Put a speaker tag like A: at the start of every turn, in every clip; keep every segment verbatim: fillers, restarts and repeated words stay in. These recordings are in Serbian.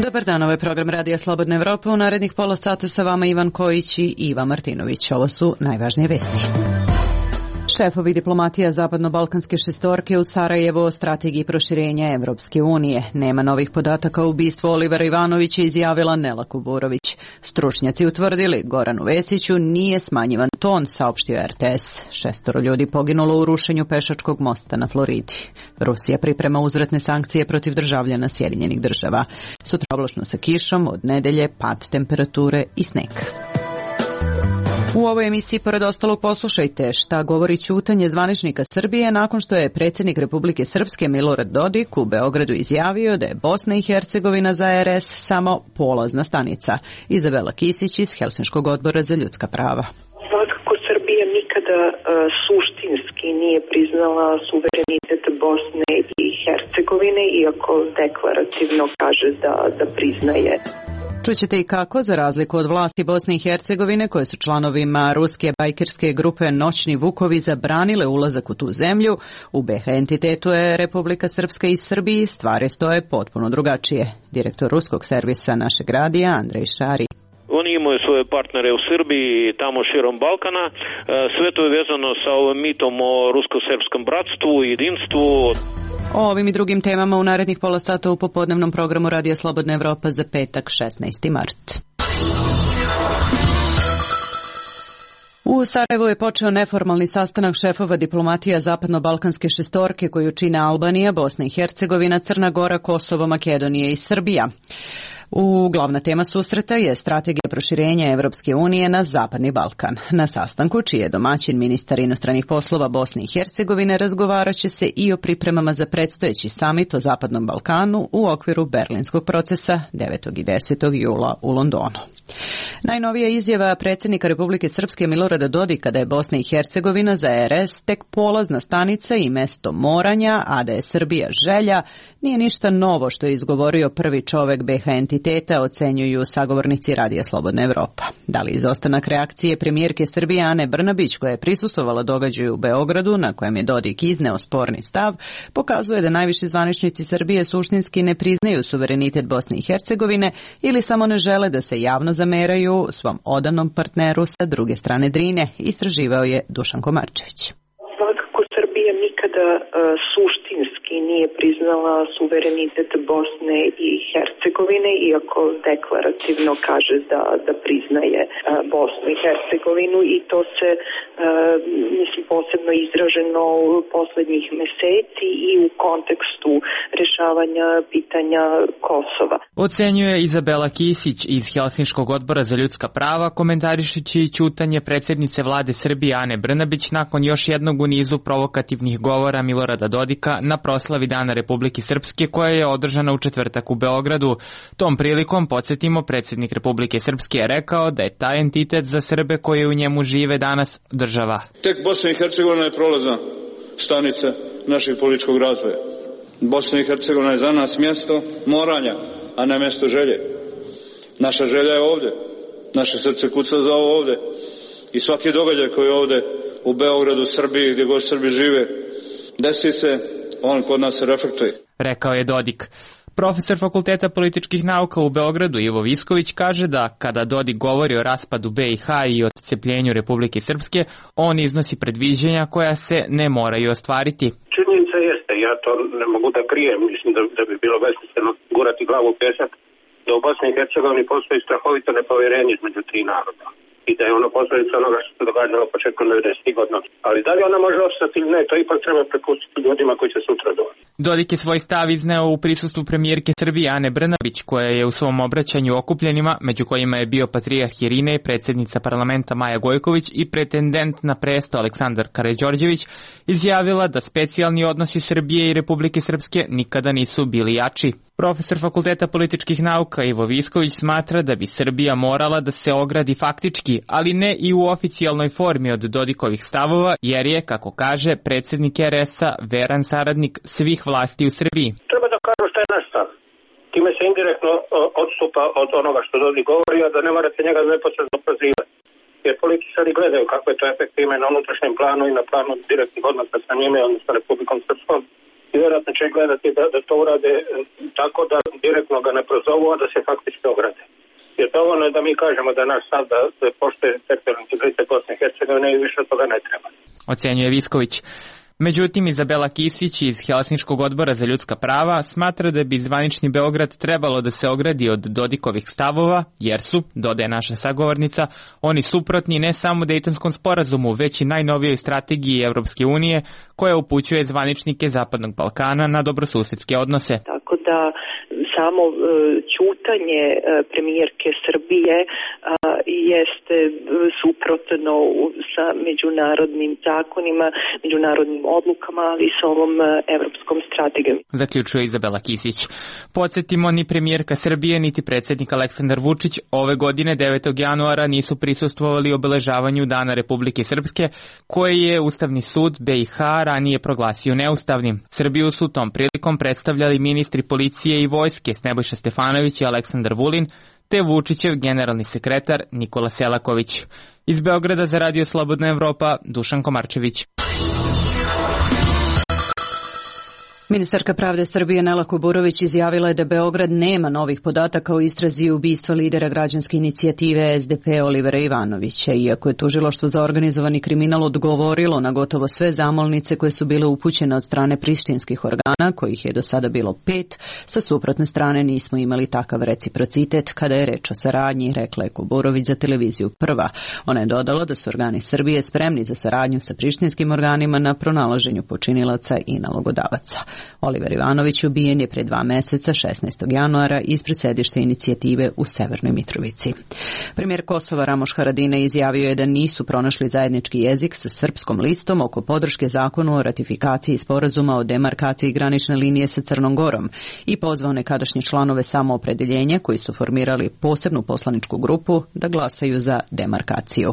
A: Dobar dan, ovo je program Radija Slobodna Evropa. U narednih pola sata sa vama Ivan Kojić i Iva Martinović. Ovo su najvažnije vesti. Šefovi diplomatija Zapadno-Balkanske šestorke u Sarajevo o strategiji proširenja Evropske unije. Nema novih podataka o ubistvu Olivera Ivanovića, izjavila Nela Kuburović. Stručnjaci utvrdili Goranu Vesiću nije smanjivan ton, saopštio er te es. Šestoro ljudi poginulo u rušenju pešačkog mosta na Floridi. Rusija priprema uzvratne sankcije protiv državljana Sjedinjenih država. Sutra oblačno sa kišom, od nedelje pad temperature i sneg. U ovoj emisiji pored ostalog poslušajte šta govori ćutanje zvaničnika Srbije nakon što je predsjednik Republike Srpske Milorad Dodik u Beogradu izjavio da je Bosna i Hercegovina za er es samo polazna stanica. Izabela Kisić iz Helsinškog odbora za ljudska prava.
B: Svakako Srbija nikada uh, suštinski nije priznala suverenitet Bosne i Hercegovine, iako deklarativno kaže da, da priznaje.
A: Čućete i kako, za razliku od vlasti Bosne i Hercegovine, koje su članovima ruske bajkerske grupe Noćni Vukovi zabranile ulazak u tu zemlju, u be ha entitetu je Republika Srpska i Srbiji stvari stoje potpuno drugačije. Direktor ruskog servisa našeg radija Andrej Šari.
C: Oni imaju svoje partnere u Srbiji i tamo širom Balkana. Sve to je vezano sa ovim mitom o rusko-srpskom bratstvu i jedinstvu.
A: O ovim i drugim temama u narednih pola sata u popodnevnom programu Radija Slobodna Evropa za petak šesnaesti mart. U Sarajevu je počeo neformalni sastanak šefova diplomatija Zapadno-Balkanske šestorke koju čine Albanija, Bosna i Hercegovina, Crna Gora, Kosovo, Makedonija i Srbija. U glavna tema susreta je strategija proširenja Evropske unije na Zapadni Balkan. Na sastanku, čiji je domaćin ministar inostranih poslova Bosne i Hercegovine, razgovarat će se i o pripremama za predstojeći samit o Zapadnom Balkanu u okviru Berlinskog procesa devetog i desetog jula u Londonu. Najnovija izjava predsjednika Republike Srpske Milorada Dodika da je Bosna i Hercegovina za er es tek polazna stanica i mesto moranja, a da je Srbija želja, nije ništa novo što je izgovorio prvi čovek be ha entiteta, ocenjuju sagovornici Radija Slobodna Evropa. Da li izostanak reakcije premijerke Srbije Ane Brnabić, koja je prisustvovala događaju u Beogradu, na kojem je Dodik izneo sporni stav, pokazuje da najviši zvaničnici Srbije suštinski ne priznaju suverenitet Bosne i Hercegovine ili samo ne žele da se javno zameraju svom odanom partneru sa druge strane Drine, istraživao je Dušan Komarčević.
B: Svakako Srbija nikada uh, suštinski nije priznala suverenitet Bosne i Hercegovine, iako deklarativno kaže da, da priznaje uh, Bosnu i Hercegovinu, i to se uh, mislim posebno izraženo u poslednjih meseci i u kontekstu rešavanja pitanja Kosova.
D: Ocenjuje Izabela Kisić iz Helsinškog odbora za ljudska prava, komentarišući ćutanje predsjednice vlade Srbije Ane Brnabić nakon još jednog u nizu provokativnih govora Milorada Dodika na proslavi Dana Republike Srpske koja je održana u četvrtak u Beogradu. Tom prilikom, podsjetimo, predsjednik Republike Srpske je rekao da je taj entitet za Srbe koji u njemu žive danas država.
E: Tek Bosna i Hercegovina je prolazna stanica našeg političkog razvoja. Bosna i Hercegovina je za nas mjesto moranja, a ne mjesto želje. Naša želja je ovdje. Naše srce kuca za ovo ovdje. I svaki događaj koji je ovdje u Beogradu, Srbiji, gdje god Srbi žive, desi se, on kod nas se reflektuje.
D: Rekao je Dodik. Profesor Fakulteta političkih nauka u Beogradu Ivo Visković kaže da kada Dodik govori o raspadu be i ha i odcepljenju Republike Srpske, on iznosi predviđanja koja se ne moraju ostvariti.
F: Činjenica jeste, ja to ne mogu da krijem, mislim da, da bi bilo besmisleno gurati glavu u pesak, da u Bosni i Hercegovini postoji strahovito nepovjerenje između tri naroda i da je ono posljedica onoga što se događalo početkom devedesetih godina. Ali da li ona može ostati ili ne, to ipak treba prepustiti ljudima koji će sutra doći.
D: Dodik je svoj stav izneo u prisustvu premijerke Srbije Ane Brnabić, koja je u svom obraćanju okupljenima, među kojima je bio patrijarh Irine, predsjednica parlamenta Maja Gojković i pretendent na presto Aleksandar Karađorđević, izjavila da specijalni odnosi Srbije i Republike Srpske nikada nisu bili jači. Profesor Fakulteta političkih nauka Ivo Visković smatra da bi Srbija morala da se ogradi faktički, ali ne i u oficijalnoj formi od Dodikovih stavova, jer je, kako kaže, predsjednik er es-a veran saradnik svih vlasti u Srbiji.
F: Treba da kažu što je naš stav. Time se indirektno odstupa od onoga što Dodik govori, a da ne morate njega neposredno prozivati. jer političari gledaju kako je to efekt ima na unutrašnjem planu i na planu direktnih odnosa sa njime, odnosno Republikom Srpskom. I vjerojatno će gledati da, da to urade tako da direktno ga ne prozovu, a da se faktički ograde. Jer dovoljno je da mi kažemo da naš stav da, da poštuje teritorijalni integritet Bosne i Hercegovine i više od toga ne treba.
D: Ocenjuje Visković. Međutim, Izabela Kisić iz Helsinškog odbora za ljudska prava smatra da bi zvanični Beograd trebalo da se ogradi od Dodikovih stavova, jer su, dodaje naša sagovornica, oni suprotni ne samo Dejtonskom sporazumu, već i najnovijoj strategiji Evropske unije koja upućuje zvaničnike Zapadnog Balkana na dobrosusedske odnose.
B: Tako da samo e, ćutanje e, premijerke Srbije e, jeste suprotno sa međunarodnim zakonima, međunarodnim odlukama, ali i sa ovom e, evropskom strategijom.
D: Zaključuje Izabela Kisić. Podsjetimo, ni premijerka Srbije, niti predsjednik Aleksandar Vučić ove godine devetog januara nisu prisustvovali obeležavanju Dana Republike Srpske, koje je Ustavni sud B i H ranije proglasio neustavnim. Srbiju su tom prilikom predstavljali ministri policije i vojske Nebojša Stefanović i Aleksandar Vulin, te Vučićev generalni sekretar Nikola Selaković. Iz Beograda za Radio Slobodna Evropa, Dušan Komarčević.
A: Ministarka pravde Srbije Nela Kuburović izjavila je da Beograd nema novih podataka o istrazi ubistva lidera građanske inicijative S D P Olivera Ivanovića, iako je tužilaštvo za organizovani kriminal odgovorilo na gotovo sve zamolnice koje su bile upućene od strane prištinskih organa, kojih je do sada bilo pet. Sa suprotne strane nismo imali takav reciprocitet kada je reč o saradnji, rekla je Kuburović za televiziju Prva. Ona je dodala da su organi Srbije spremni za saradnju sa prištinskim organima na pronalaženju počinilaca i nalogodavaca. Oliver Ivanović ubijen je pre dva meseca, šesnaestog januara, ispred sedišta inicijative u Severnoj Mitrovici. Premijer Kosova Ramoš Haradinaj izjavio je da nisu pronašli zajednički jezik sa Srpskom listom oko podrške zakonu o ratifikaciji sporazuma o demarkaciji granične linije sa Crnom Gorom i pozvao nekadašnje članove samoopredeljenja koji su formirali posebnu poslaničku grupu da glasaju za demarkaciju.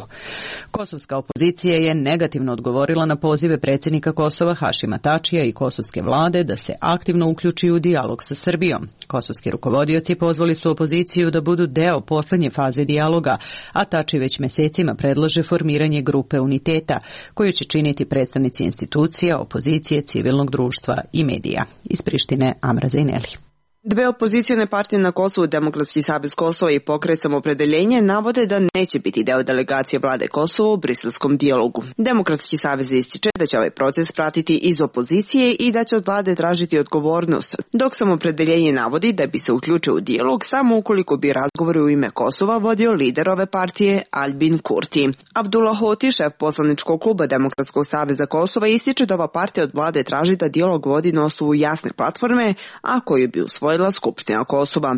A: Kosovska opozicija je negativno odgovorila na pozive predsjednika Kosova Hašima Tačija i kosovske vlade da se aktivno uključi u dijalog sa Srbijom. Kosovski rukovodioci pozvali su opoziciju da budu deo poslednje faze dijaloga, a Tači već mesecima predlaže formiranje grupe uniteta, koju će činiti predstavnici institucija, opozicije, civilnog društva i medija. Iz Prištine, Amra Zajneli.
G: Dve opozicione partije na Kosovu, Demokratski savez Kosova i Pokret Samoopredeljenje, navode da neće biti deo delegacije vlade Kosova u briselskom dijalogu. Demokratski savez ističe da će ovaj proces pratiti iz opozicije i da će od vlade tražiti odgovornost, dok Samoopredeljenje navodi da bi se uključio u dijalog samo ukoliko bi razgovori u ime Kosova vodio lider ove partije Albin Kurti. Abdullah Hoti, šef poslaničkog kluba Demokratskog saveza Kosova, ističe da ova partija od vlade traži da dijalog vodi na osnovu jasne platforme, a koju bi usvojila Skupština Kosova.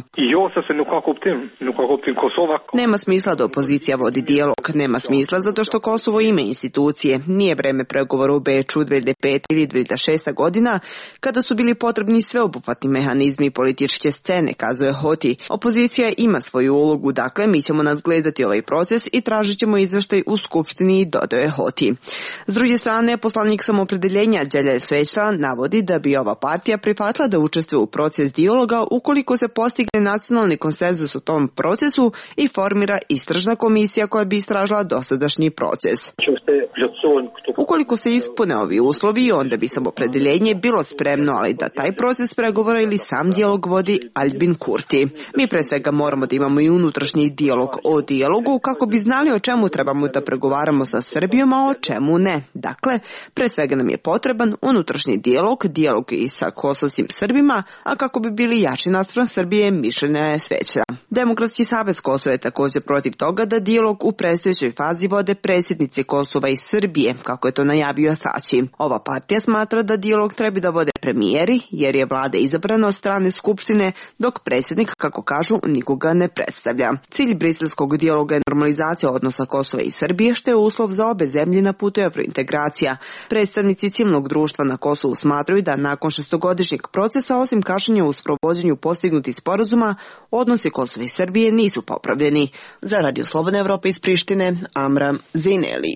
G: Nema smisla da opozicija vodi dijalog, nema smisla zato što Kosovo ima institucije. Nije vreme pregovora u Beču dve hiljade pete ili dve hiljade šeste godina, kada su bili potrebni sveobuhvatni mehanizmi političke scene, kazuje Hoti. Opozicija ima svoju ulogu, dakle mi ćemo nadgledati ovaj proces i tražit ćemo izveštaj u Skupštini, dodaje Hoti. S druge strane, poslanik Samoopredeljenja Đelja Svećla navodi da bi ova partija prihvatila da učestvuje u proces dijaloga ukoliko se postigne nacionalni konsenzus u tom procesu i formira istražna komisija koja bi istražila dosadašnji proces. Ukoliko se ispune ovi uslovi, onda bi Samoopredeljenje bilo spremno, ali da taj proces pregovora ili sam dijalog vodi Albin Kurti. Mi pre svega moramo da imamo i unutrašnji dijalog o dijalogu kako bi znali o čemu trebamo da pregovaramo sa Srbijom, a o čemu ne. Dakle, pre svega nam je potreban unutrašnji dijalog, dijalog i sa kosovskim Srbima, a kako bi bili jači naspram Srbije, mišljenja je Svećla. Demokratski savez Kosova je također protiv toga da dijalog u predstojećoj fazi vode predsjednici Kosova i Srbije, kako je to najavio Tači. Ova partija smatra da dijalog treba da vode premijeri, jer je vlada izabrana od strane Skupštine, dok predsjednik, kako kažu, nikoga ne predstavlja. Cilj briselskog dijaloga je normalizacija odnosa Kosova i Srbije, što je uslov za obe zemlje na putu evrointegracija. Predstavnici civilnog društva na Kosovu smatraju da nakon šestogodišnjeg procesa, osim kašnjenja u sprovođenju postignutih sporazuma, odnosi Kosova i Srbije nisu popravljeni. Za Radio Slobodna Evropa iz Prištine, Amra Zajneli.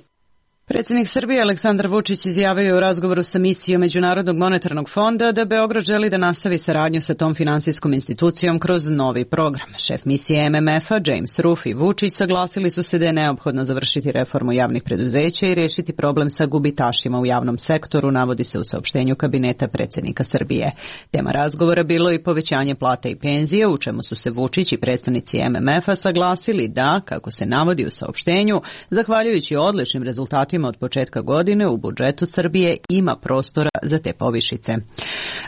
A: Predsjednik Srbije Aleksandar Vučić izjavio u razgovoru sa misijom Međunarodnog monetarnog fonda da Beograd želi da nastavi saradnju sa tom finansijskom institucijom kroz novi program. Šef misije M M F-a James Ruff i Vučić saglasili su se da je neophodno završiti reformu javnih preduzeća i rešiti problem sa gubitašima u javnom sektoru, navodi se u saopštenju kabineta predsjednika Srbije. Tema razgovora bilo i povećanje plata i penzija, u čemu su se Vučić i predstavnici M M F-a saglasili da, kako se navodi u saopštenju, zahvaljujući odličnim rezultatima od početka godine u budžetu Srbije ima prostora za te povišice.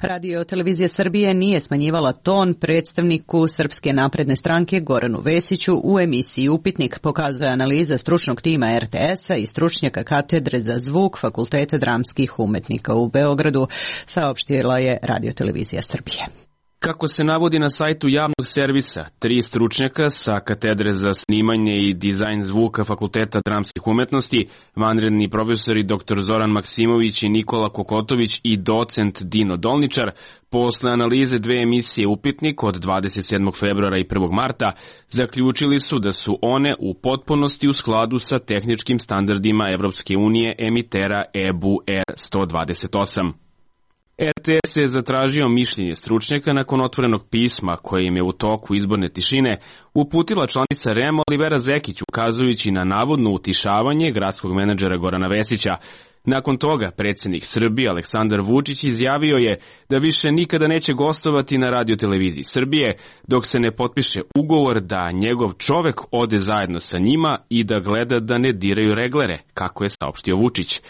A: Radio televizija Srbije nije smanjivala ton predstavniku Srpske napredne stranke Goranu Vesiću u emisiji Upitnik, pokazuje analiza stručnog tima R T S-a i stručnjaka katedre za zvuk Fakulteta dramskih umetnika u Beogradu, saopštila je Radio televizija Srbije.
H: Kako se navodi na sajtu javnog servisa, tri stručnjaka sa katedre za snimanje i dizajn zvuka Fakulteta dramskih umetnosti, vanredni profesori dr Zoran Maksimović i Nikola Kokotović i docent Dino Dolničar, posle analize dve emisije Upitnik od dvadeset sedmog februara i prvog marta, zaključili su da su one u potpunosti u skladu sa tehničkim standardima Evropske unije emitera E B U R sto dvadeset osam. R T S je zatražio mišljenje stručnjaka nakon otvorenog pisma koje im je u toku izborne tišine uputila članica R E M Olivera Zekić, ukazujući na navodno utišavanje gradskog menadžera Gorana Vesića. Nakon toga predsjednik Srbije Aleksandar Vučić izjavio je da više nikada neće gostovati na Radio televiziji Srbije dok se ne potpiše ugovor da njegov čovek ode zajedno sa njima i da gleda da ne diraju reglere, kako je saopštio Vučić.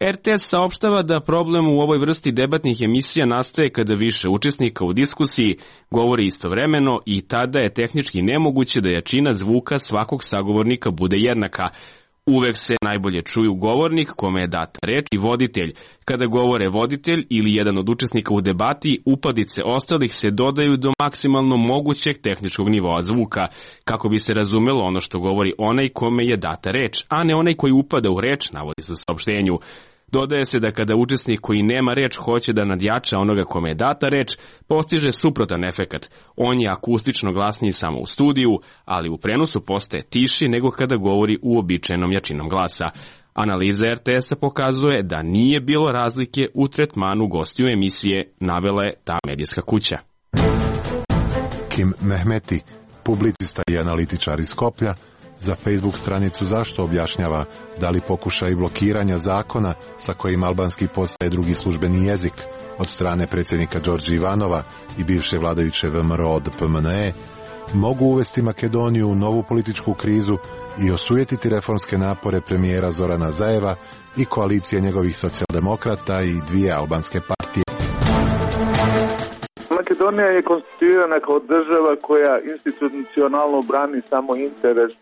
H: R T S saopštava da problem u ovoj vrsti debatnih emisija nastaje kada više učesnika u diskusiji govori istovremeno i tada je tehnički nemoguće da jačina zvuka svakog sagovornika bude jednaka. Uvek se najbolje čuju govornik kome je data reč i voditelj. Kada govore voditelj ili jedan od učesnika u debati, upadice ostalih se dodaju do maksimalno mogućeg tehničkog nivoa zvuka, kako bi se razumelo ono što govori onaj kome je data reč, a ne onaj koji upada u reč, navodi se u saopštenju. Dodaje se da kada učesnik koji nema reč hoće da nadjača onoga kome je data reč, postiže suprotan efekat. On je akustično glasniji samo u studiju, ali u prenosu postaje tiši nego kada govori uobičajenom jačinom glasa. Analiza R T S-a pokazuje da nije bilo razlike u tretmanu gostiju emisije, navela je ta medijska kuća.
I: Kim Mehmeti, publicista i analitičar iz Skoplja, za Facebook stranicu Zašto objašnjava da li pokušaj blokiranja zakona sa kojim albanski postaje drugi službeni jezik od strane predsjednika Đorđe Ivanova i bivše vladajuće V M R O od P M N E mogu uvesti Makedoniju u novu političku krizu i osujetiti reformske napore premijera Zorana Zajeva i koalicije njegovih socijaldemokrata i dvije albanske partije.
J: Makedonija je konstituirana kao država koja institucionalno brani samo interes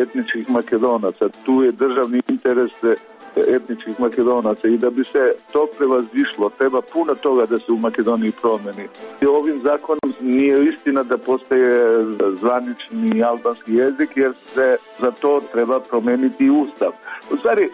J: etničkih Makedonaca. Tu je državni interes etničkih Makedonaca i da bi se to prevazišlo, treba puno toga da se u Makedoniji promeni. I ovim zakonom nije istina da postaje zvanični albanski jezik, jer se za to treba promeniti ustav. U stvari,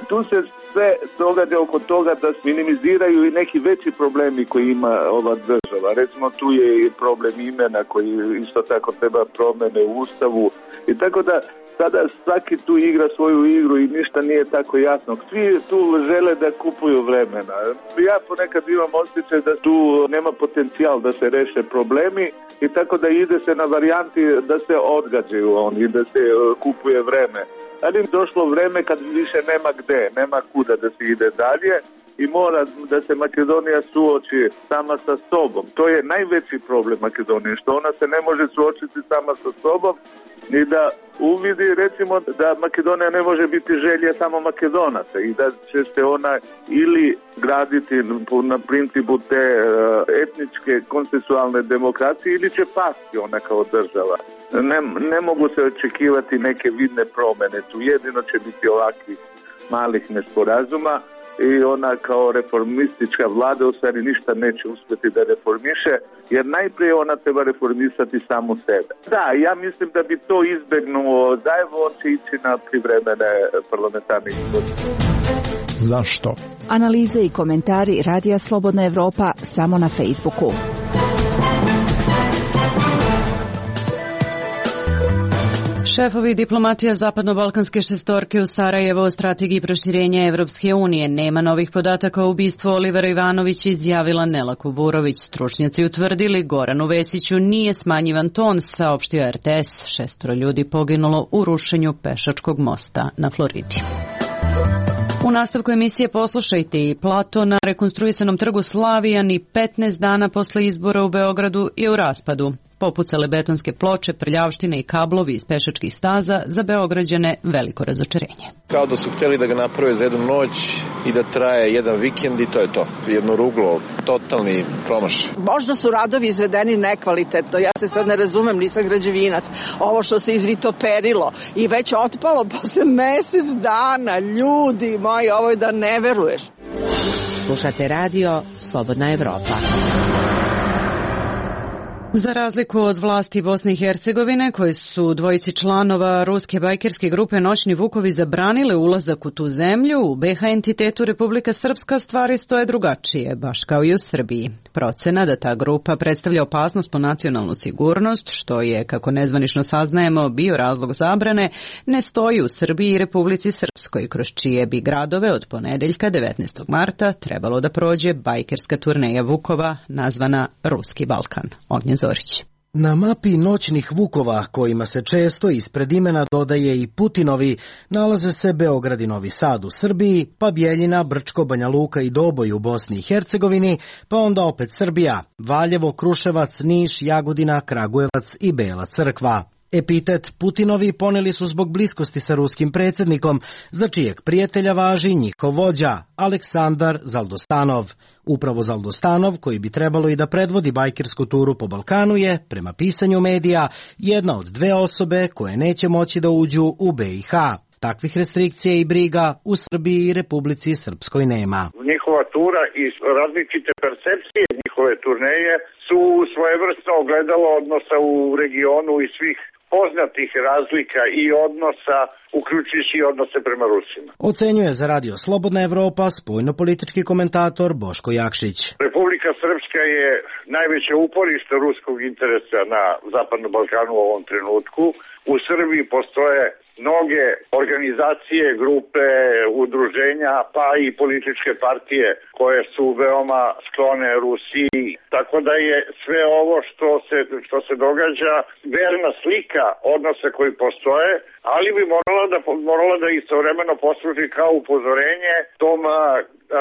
J: tu se sve događa oko toga da minimiziraju i neki veći problemi koji ima ova država. Recimo, tu je i problem imena koji isto tako treba promene u ustavu i tako da sada svaki tu igra svoju igru i ništa nije tako jasno. Svi tu žele da kupuju vremena. Ja ponekad imam osjećaj da tu nema potencijal da se reše problemi i tako da ide se na varijanti da se odgađaju oni i da se kupuje vreme. Ali im došlo vreme kad više nema gde, nema kuda da se ide dalje i mora da se Makedonija suoči sama sa sobom. To je najveći problem Makedonije, što ona se ne može suočiti sama sa sobom i da uvidi recimo da Makedonija ne može biti želja samo Makedonaca i da će se ona ili graditi na principu te etničke konsensualne demokracije ili će pasti ona kao država. Ne, ne mogu se očekivati neke vidne promjene, tu jedino će biti ovakvih malih nesporazuma i ona kao reformistička vlada u stvari ništa neće uspjeti da reformiše, jer najprije ona treba reformisati samu sebe. Da, ja mislim da bi to izbjegnuo Zajev, on će ići na privremene parlamentarne izbore.
K: Zašto? Analize i komentari Radija Slobodna Evropa samo na Facebooku.
A: Šefovi diplomatija zapadno-balkanske šestorke u Sarajevo o strategiji proširenja Evropske unije. Nema novih podataka o ubistvu Olivera Ivanovića, izjavila Nela Kuburović. Stručnjaci utvrdili Goranu Vesiću nije smanjivan ton, saopštio er te es. Šestoro ljudi poginulo u rušenju pešačkog mosta na Floridi. U nastavku emisije poslušajte i plato na rekonstruisanom trgu Slavija ni petnaest dana posle izbora u Beogradu je u raspadu. Popucale betonske ploče, prljavštine i kablovi iz pešačkih staza, za Beograđane veliko razočarenje.
L: Kao da su htjeli da ga naprave za jednu noć i da traje jedan vikend i to je to. Jedno ruglo, totalni promašaj.
M: Možda su radovi izvedeni nekvalitetno, ja se sad ne razumem, nisam građevinac. Ovo što se izvitoperilo i već otpalo posle mesec dana, ljudi moji, ovo je da ne veruješ.
N: Slušate radio Slobodna Evropa.
A: Za razliku od vlasti Bosne i Hercegovine, koji su dvojici članova ruske bajkerske grupe Noćni vukovi zabranile ulazak u tu zemlju, u be ha entitetu Republika Srpska stvari stoje drugačije, baš kao i u Srbiji. Procena da ta grupa predstavlja opasnost po nacionalnu sigurnost, što je, kako nezvanično saznajemo, bio razlog zabrane, ne stoji u Srbiji i Republici Srpskoj, kroz čije bi gradove od ponedeljka devetnaestog marta trebalo da prođe bajkerska turneja Vukova nazvana Ruski Balkan. Ognjen Zorić.
O: Na mapi Noćnih Vukova, kojima se često ispred imena dodaje i Putinovi, nalaze se Beograd i Novi Sad u Srbiji, pa Bjeljina, Brčko, Banja Luka i Doboj u Bosni i Hercegovini, pa onda opet Srbija, Valjevo, Kruševac, Niš, Jagodina, Kragujevac i Bela Crkva. Epitet Putinovi poneli su zbog bliskosti sa ruskim predsjednikom, za čijeg prijatelja važi njihov vođa, Aleksandar Zaldostanov. Upravo Zaldostanov, koji bi trebalo i da predvodi bajkersku turu po Balkanu, je, prema pisanju medija, jedna od dve osobe koje neće moći da uđu u be i ha. Takvih restrikcija i briga u Srbiji i Republici Srpskoj nema.
P: Njihova tura i različite percepcije njihove turneje su svojevrsno ogledalo odnosa u regionu i svih poznatih razlika i odnosa, uključujući i odnose prema Rusima.
O: Ocenjuje za radio Slobodna Evropa spoljnopolitički komentator Boško Jakšić.
P: Republika Srpska je najveće uporište ruskog interesa na Zapadnom Balkanu u ovom trenutku. U Srbiji postoje mnoge organizacije, grupe, udruženja, pa i političke partije koje su veoma sklone Rusiji. Tako da je sve ovo što se, što se događa verna slika odnosa koji postoje, ali bi morala da, morala da istovremeno posluži kao upozorenje tom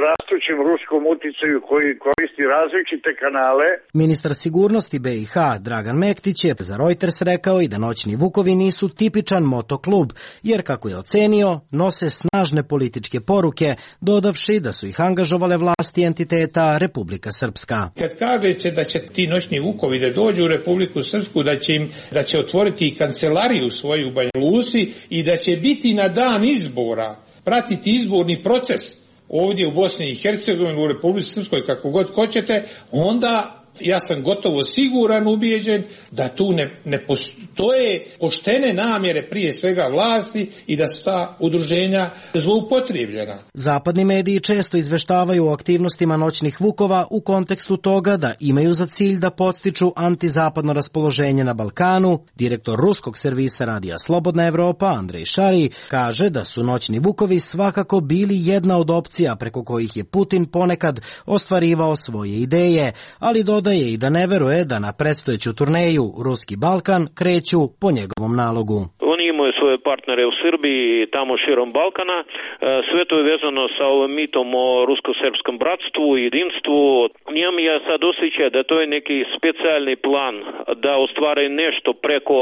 P: rastućem ruskom uticaju koji koristi različite kanale.
O: Ministar sigurnosti be i ha Dragan Mektić je za Reuters rekao i da Noćni Vukovi nisu tipičan motoklub, jer kako je ocenio, nose snažne političke poruke, dodavši da su ih angažovale vlasti entiteta Republika Srpska.
Q: Kad kažete da će ti Noćni Vukovi da dođu u Republiku Srpsku, da će im da će otvoriti kancelariju svoju u Banja Luci i da će biti na dan izbora, pratiti izborni proces ovdje u Bosni i Hercegovini, u Republici Srpskoj, kako god hoćete, onda ja sam gotovo siguran, ubijeđen da tu ne, ne postoje poštene namjere prije svega vlasti i da su ta udruženja zloupotrijebljena.
O: Zapadni mediji često izveštavaju o aktivnostima Noćnih Vukova u kontekstu toga da imaju za cilj da podstiču antizapadno raspoloženje na Balkanu. Direktor ruskog servisa radija Slobodna Evropa Andrej Šari kaže da su Noćni Vukovi svakako bili jedna od opcija preko kojih je Putin ponekad ostvarivao svoje ideje, ali dodaje i da ne veruje da na predstojeću turneju Ruski Balkan kreću po njegovom nalogu.
C: Oni imaju svoje partnere u Srbiji i tamo širom Balkana. Sve to je vezano sa ovim mitom o rusko-srpskom bratstvu i jedinstvu. Njam ja sad osjećam da to je neki specijalni plan da ostvare nešto preko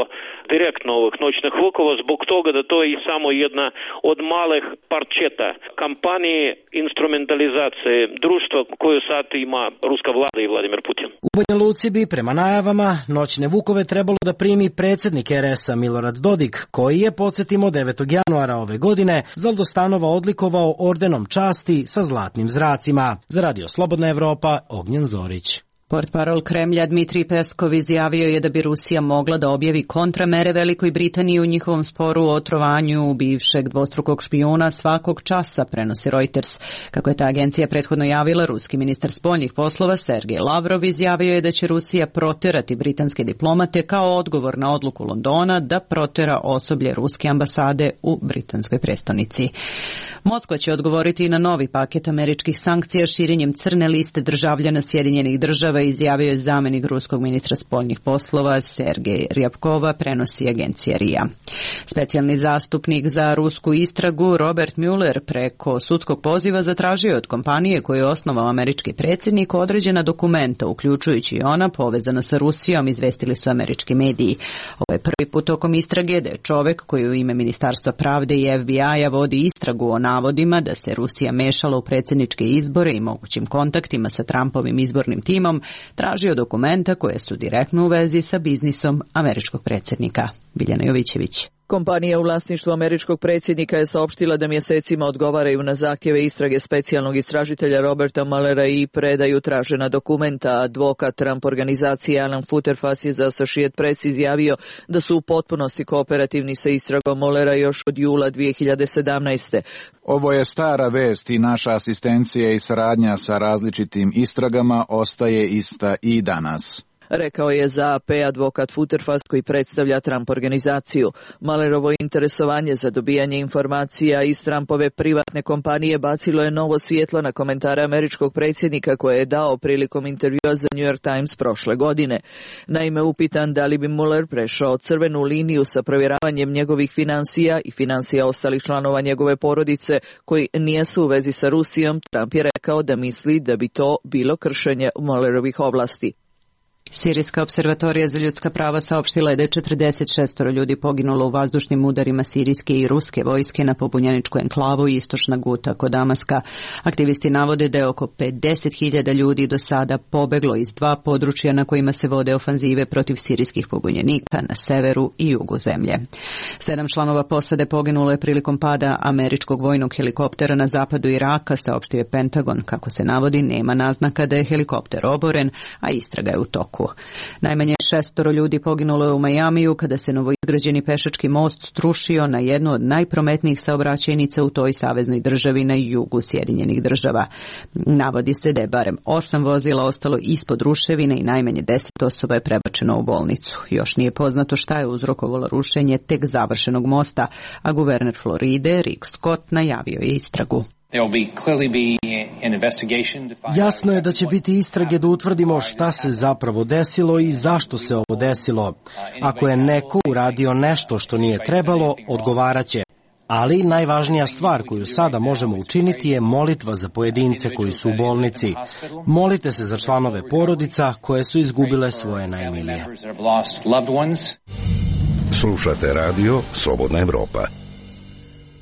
C: direktno ovih Noćnih Vukova, zbog toga da to je i samo jedna od malih parčeta kampanije instrumentalizacije društva koju sad ima ruska vlada i Vladimir Putin.
O: U Banja Luci bi prema najavama Noćne Vukove trebalo da primi predsjednik er es a Milorad Dodik, koji je, podsjetimo, devetog januara ove godine Zaldostanova odlikovao ordenom časti sa zlatnim zracima. Za radio Slobodna Evropa, Ognjen Zorić.
A: Portparol Kremlja Dmitrij Peskov izjavio je da bi Rusija mogla da objavi kontramere Velikoj Britaniji u njihovom sporu o otrovanju bivšeg dvostrukog špijuna svakog časa, prenosi Reuters. Kako je ta agencija prethodno javila, ruski ministar spoljnih poslova Sergej Lavrov izjavio je da će Rusija proterati britanske diplomate kao odgovor na odluku Londona da protera osoblje ruske ambasade u britanskoj prestonici. Moskva će odgovoriti na novi paket američkih sankcija širenjem crne liste državljana Sjedinjenih država, izjavio je zamenik ruskog ministra spoljnih poslova Sergej Ryabkova, prenosi agencija R I A. Specijalni zastupnik za rusku istragu Robert Mueller preko sudskog poziva zatražio je od kompanije koju je osnovao američki predsjednik određena dokumenta, uključujući i ona povezana sa Rusijom, izvestili su američki mediji. Ovo je prvi put tokom istrage da je čovek koji u ime Ministarstva pravde i F B I-a vodi istragu o navodima da se Rusija mešala u predsjedničke izbore i mogućim kontaktima sa Trumpovim izbornim timom, tražio dokumenta koje su direktno u vezi sa biznisom američkog predsjednika. Biljana Jovićević.
R: Kompanija u vlasništvu američkog predsjednika je saopštila da mjesecima odgovaraju na zahtjeve istrage specijalnog istražitelja Roberta Muellera i predaju tražena dokumenta. Advokat Trump organizacije Alan Futerfas je za Associated Press izjavio da su u potpunosti kooperativni sa istragom Muellera još od jula dvije hiljade sedamnaeste.
S: Ovo je stara vest i naša asistencija i saradnja sa različitim istragama ostaje ista i danas,
R: rekao je za A P advokat Futerfas koji predstavlja Trump organizaciju. Muellerovo interesovanje za dobijanje informacija iz Trumpove privatne kompanije bacilo je novo svjetlo na komentare američkog predsjednika koje je dao prilikom intervjua za New York Times prošle godine. Naime, upitan da li bi Mueller prešao crvenu liniju sa provjeravanjem njegovih financija i financija ostalih članova njegove porodice koji nijesu u vezi sa Rusijom, Trump je rekao da misli da bi to bilo kršenje Muellerovih ovlasti.
A: Sirijska observatorija za ljudska prava saopštila je da je četrdeset šest ljudi poginulo u vazdušnim udarima sirijske i ruske vojske na pobunjeničku enklavu i istočna Guta kod Damaska. Aktivisti navode da je oko pedeset hiljada ljudi do sada pobeglo iz dva područja na kojima se vode ofanzive protiv sirijskih pobunjenika na severu i jugu zemlje. Sedam članova posade poginulo je prilikom pada američkog vojnog helikoptera na zapadu Iraka, saopštio je Pentagon. Kako se navodi, nema naznaka da je helikopter oboren, a istraga je u toku. Najmanje šestoro ljudi poginulo je u Majamiju kada se novoizgrađeni pešački most strušio na jednu od najprometnijih saobraćajnica u toj saveznoj državi na jugu Sjedinjenih država. Navodi se da je barem osam vozila ostalo ispod ruševine i najmanje deset osoba je prebačeno u bolnicu. Još nije poznato šta je uzrokovalo rušenje tek završenog mosta, a guverner Floride Rick Scott najavio je istragu.
O: Jasno je da će biti istrage da utvrdimo šta se zapravo desilo i zašto se ovo desilo. Ako je neko uradio nešto što nije trebalo, odgovaraće. Ali najvažnija stvar koju sada možemo učiniti je molitva za pojedince koji su u bolnici. Molite se za članove porodica koje su izgubile svoje najmilije.
T: Slušate radio Slobodna Evropa.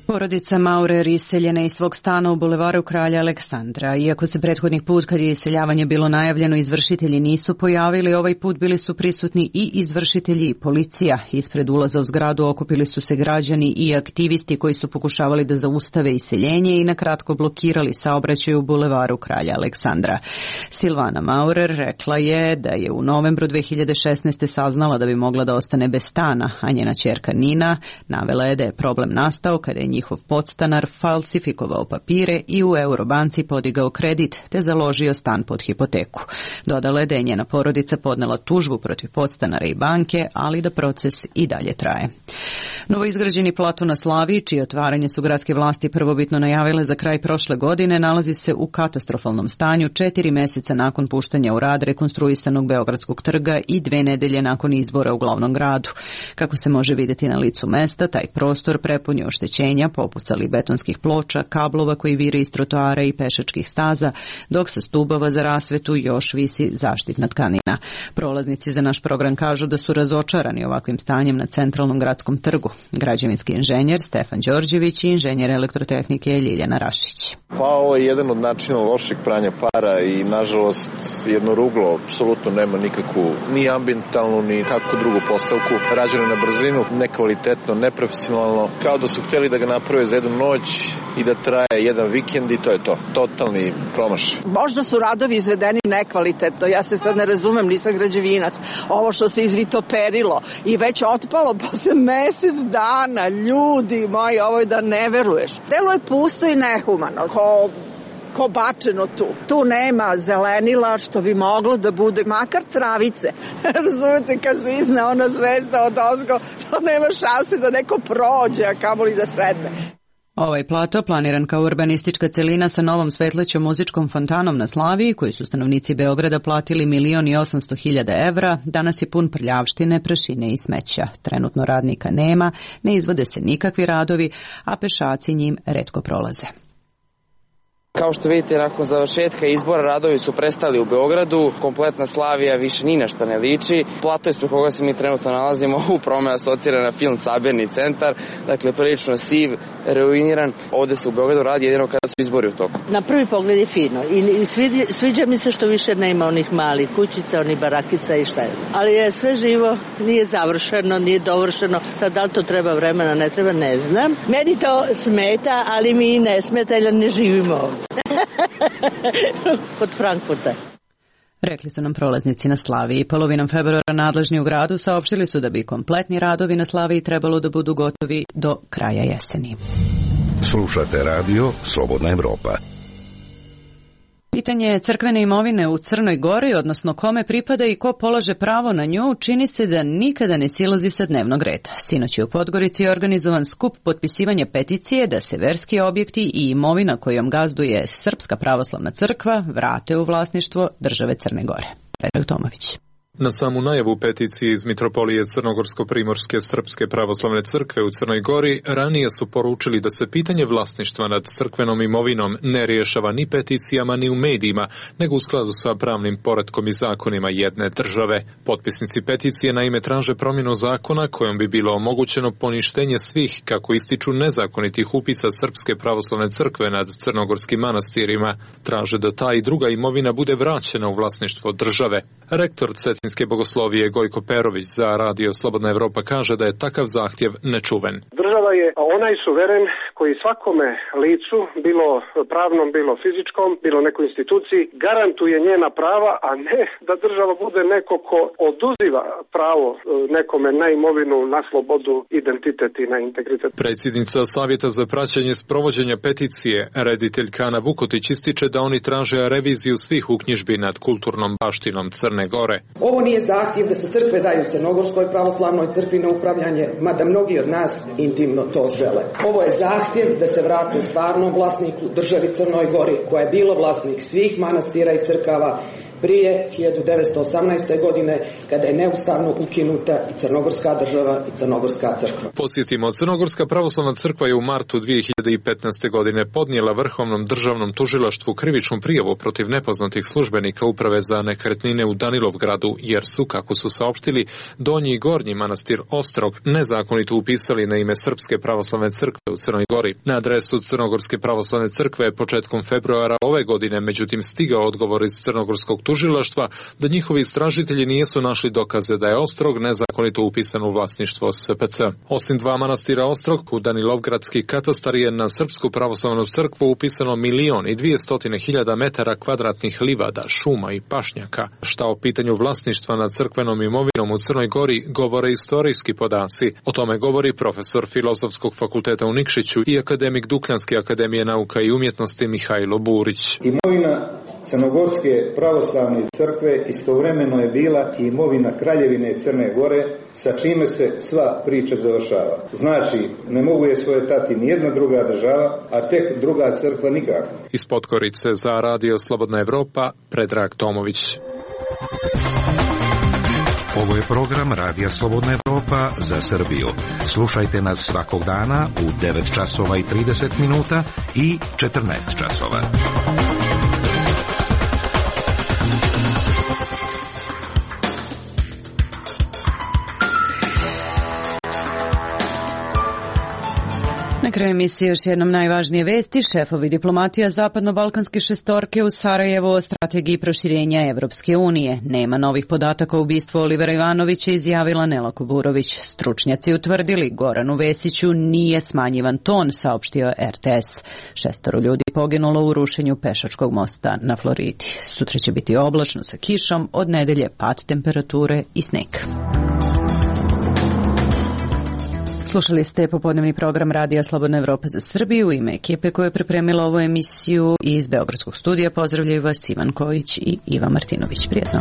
A: Porodica Maurer iseljena iz svog stana u bulevaru Kralja Aleksandra. Iako se prethodnih put kad je iseljavanje bilo najavljeno izvršitelji nisu pojavili, ovaj put bili su prisutni i izvršitelji i policija. Ispred ulaza u zgradu okupili su se građani i aktivisti koji su pokušavali da zaustave iseljenje i na kratko blokirali saobraćaj u bulevaru Kralja Aleksandra. Silvana Maurer rekla je da je u novembru dve hiljade šesnaeste saznala da bi mogla da ostane bez stana, a njena ćerka Nina navela je da je problem nastao kada je njihov podstanar falsifikovao papire i u Eurobanci podigao kredit te založio stan pod hipoteku. Dodala je da je njena porodica podnela tužbu protiv podstanara i banke, ali da proces i dalje traje. Novoizgrađeni plato na Slaviji, čije otvaranje su gradske vlasti prvobitno najavile za kraj prošle godine, nalazi se u katastrofalnom stanju četiri meseca nakon puštanja u rad rekonstruisanog Beogradskog trga i dve nedelje nakon izbora u glavnom gradu. Kako se može vidjeti na licu mesta, taj prostor prepun je oštećenja, popucali betonskih ploča, kablova koji vire iz trotoara i pešačkih staza, dok sa stubova za rasvetu još visi zaštitna tkanina. Prolaznici za naš program kažu da su razočarani ovakvim stanjem na centralnom gradskom trgu. Građevinski inženjer Stefan Đorđević i inženjer elektrotehnike Ljiljana Rašić.
L: Pa ovo je jedan od načina lošeg pranja para i nažalost jedno ruglo apsolutno nema nikakvu ni ambientalnu ni kakvu drugu postavku. Rađeno na brzinu, nekvalitetno, neprofesionalno, kao da su htjeli da ga naprave za jednu noć i da traje jedan vikend i to je to. Totalni promašaj.
M: Možda su radovi izvedeni nekvalitetno, ja se sad ne razumem, nisam građevinac. Ovo što se izvitoperilo i već otpalo posle mesec dana, ljudi moji, ovo je da ne veruješ. Delo je pusto i nehumano, ko ko bačeno tu. Tu nema zelenila što bi moglo da bude, makar travice. Razumete, kad se izne ona zvezda od ozgo, to nema šanse da neko prođe, a kamoli da sedne.
A: Ovaj plato, planiran kao urbanistička celina sa novom svetlećom muzičkom fontanom na Slaviji, koji su stanovnici Beograda platili milion i osamsto hiljada evra, danas je pun prljavštine, prašine i smeća. Trenutno radnika nema, ne izvode se nikakvi radovi, a pešaci njim retko prolaze.
U: Kao što vidite, nakon završetka izbora radovi su prestali u Beogradu, kompletna Slavija više ni na što ne liči. Plato ispred koga se mi trenutno nalazimo upravo me asocira na film Sabirni centar, dakle prilično siv, ruiniran. Ovde se u Beogradu radi jedino kada su izbori u toku.
V: Na prvi pogled je fino i sviđa, sviđa mi se što više nema onih malih kućica, onih barakica i šta je. Ali je sve živo, nije završeno, nije dovršeno. Sad da li to treba vremena, ne treba, ne znam. Meni to smeta, ali mi ne smeta jer ne živimo ovdje. Kod Frankfurta.
A: Rekli su nam prolaznici na Slaviji. Polovinom februara nadležni u gradu saopštili su da bi kompletni radovi na Slaviji trebalo da budu gotovi do kraja jeseni.
T: Slušate radio Slobodna Evropa.
A: Pitanje crkvene imovine u Crnoj Gori, odnosno kome pripada i ko polaže pravo na nju, čini se da nikada ne silazi sa dnevnog reda. Sinoć je u Podgorici organizovan skup potpisivanja peticije da se verski objekti i imovina kojom gazduje Srpska pravoslavna crkva vrate u vlasništvo države Crne Gore. Predrag Tomović.
W: Na samu najavu peticije iz Mitropolije Crnogorsko-Primorske Srpske pravoslavne crkve u Crnoj Gori ranije su poručili da se pitanje vlasništva nad crkvenom imovinom ne rješava ni peticijama ni u medijima, nego u skladu sa pravnim poretkom i zakonima jedne države. Potpisnici peticije naime traže promjenu zakona kojom bi bilo omogućeno poništenje svih, kako ističu, nezakonitih upisa Srpske pravoslavne crkve nad crnogorskim manastirima. Traže da ta i druga imovina bude vraćena u vlasništvo države. Rektor Cetinske bogoslovije Gojko Perović za radio Slobodna Evropa kaže da je takav zahtjev nečuven.
F: Država je onaj suveren koji svakome licu, bilo pravnom, bilo fizičkom, bilo nekoj instituciji, garantuje njena prava, a ne da država bude neko ko oduziva pravo nekome na imovinu, na slobodu, identitet i na integritet.
W: Predsjednica Savjeta za praćenje sprovođenja peticije, rediteljka Ana Vukotić, ističe da oni traže reviziju svih uknjižbi nad kulturnom baštinom Crne Gore.
X: Ovo nije zahtjev da se crkve daju Crnogorskoj pravoslavnoj crkvi na upravljanje, mada mnogi od nas intimno to žele. Ovo je zahtjev da se vrate stvarnom vlasniku, državi Crnoj Gori, koja je bilo vlasnik svih manastira i crkava prije hiljadu devetsto osamnaeste. godine, kada je neustavno ukinuta i Crnogorska država i Crnogorska crkva.
W: Podsjetimo, Crnogorska pravoslavna crkva je u martu dvije hiljade petnaeste. godine podnijela Vrhovnom državnom tužilaštvu krivičnu prijavu protiv nepoznatih službenika Uprave za nekretnine u Danilovgradu, jer su, kako su saopštili, Donji i Gornji manastir Ostrog nezakonito upisali na ime Srpske pravoslavne crkve u Crnoj Gori. Na adresu Crnogorske pravoslavne crkve početkom februara ove godine, međutim, stigao odgovor iz Crnogorskog tužilaštva da njihovi istražitelji nisu našli dokaze da je Ostrog nezakonito upisan u vlasništvo S P C. Osim dva manastira Ostrog, u Danilovgradski katastar je na Srpsku pravoslavnu crkvu upisano milion i dvijestotine hiljada metara kvadratnih livada, šuma i pašnjaka. Šta o pitanju vlasništva nad crkvenom imovinom u Crnoj Gori govore istorijski podaci. O tome govori profesor Filozofskog fakulteta u Nikšiću i akademik Dukljanske akademije nauka i umjetnosti Mihajlo Burić.
Y: Imovina Crnogorske pravoslavne crkve istovremeno je bila i imovina Kraljevine Crne Gore, sa čime se sva priča završava. Znači, ne mogu je svojatati nijedna druga država, a tek druga crkva nikako.
W: Iz Podgorice za radio Slobodna Evropa, Predrag Tomović.
T: Ovo je program Radija Slobodna Evropa za Srbiju. Slušajte nas svakog dana u devet časova i trideset minuta i četrnaest časova.
A: Na kraju emisije još jednom najvažnije vesti. Šefovi diplomatija zapadno-balkanske šestorke u Sarajevu o strategiji proširenja Evropske unije. Nema novih podataka o ubistvu Olivera Ivanovića, izjavila Nela Kuburović. Stručnjaci utvrdili Goranu Vesiću nije smanjivan ton, saopštio er te es. Šestoro ljudi poginulo u rušenju pešačkog mosta na Floridi. Sutra će biti oblačno sa kišom, od nedelje pad temperature i sneg. Slušali ste popodnevni program Radija Slobodna Evropa za Srbiju. U ime ekipe koja je pripremila ovu emisiju iz Beogradskog studija pozdravljaju vas Ivan Kojić i Iva Martinović. Prijetno.